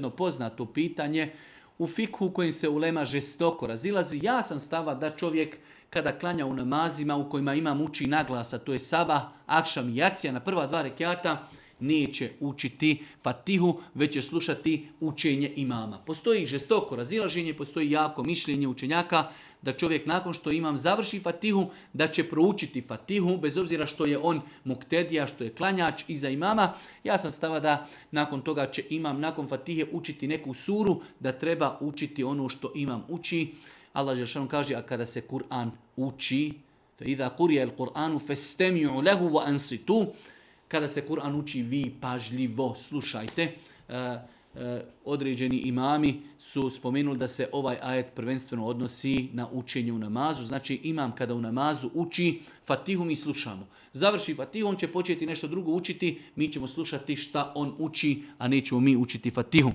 jedno poznato pitanje u fikhu u kojim se ulema žestoko razilazi. Ja sam stava da čovjek kada klanja u namazima u kojima imam uči naglasa, to je sabah, akšam i jacija na prva 2 rekjata, neće učiti fatihu, već će slušati učenje imama. Postoji žestoko razilaženje, postoji jako mišljenje učenjaka da čovjek nakon što imam završi fatihu, da će proučiti fatihu, bez obzira što je on muktedija, što je klanjač iza imama. Ja sam stava da nakon toga će imam nakon fatihe učiti neku suru, da treba učiti ono što imam uči. Allah dželešanu kaže, a kada se Kur'an uči, فَإِذَا قُرِيَ الْقُرْآنُ فَاسْتَمِعُوا لَهُ وَأَنْصِتُوا, kada se Kur'an uči, vi pažljivo slušajte. Određeni imami su spomenuli da se ovaj ajet prvenstveno odnosi na učenje u namazu. Znači imam kada u namazu uči fatihu, mi slušamo. Završi fatihu, on će početi nešto drugo učiti, mi ćemo slušati šta on uči, a nećemo mi učiti fatihu.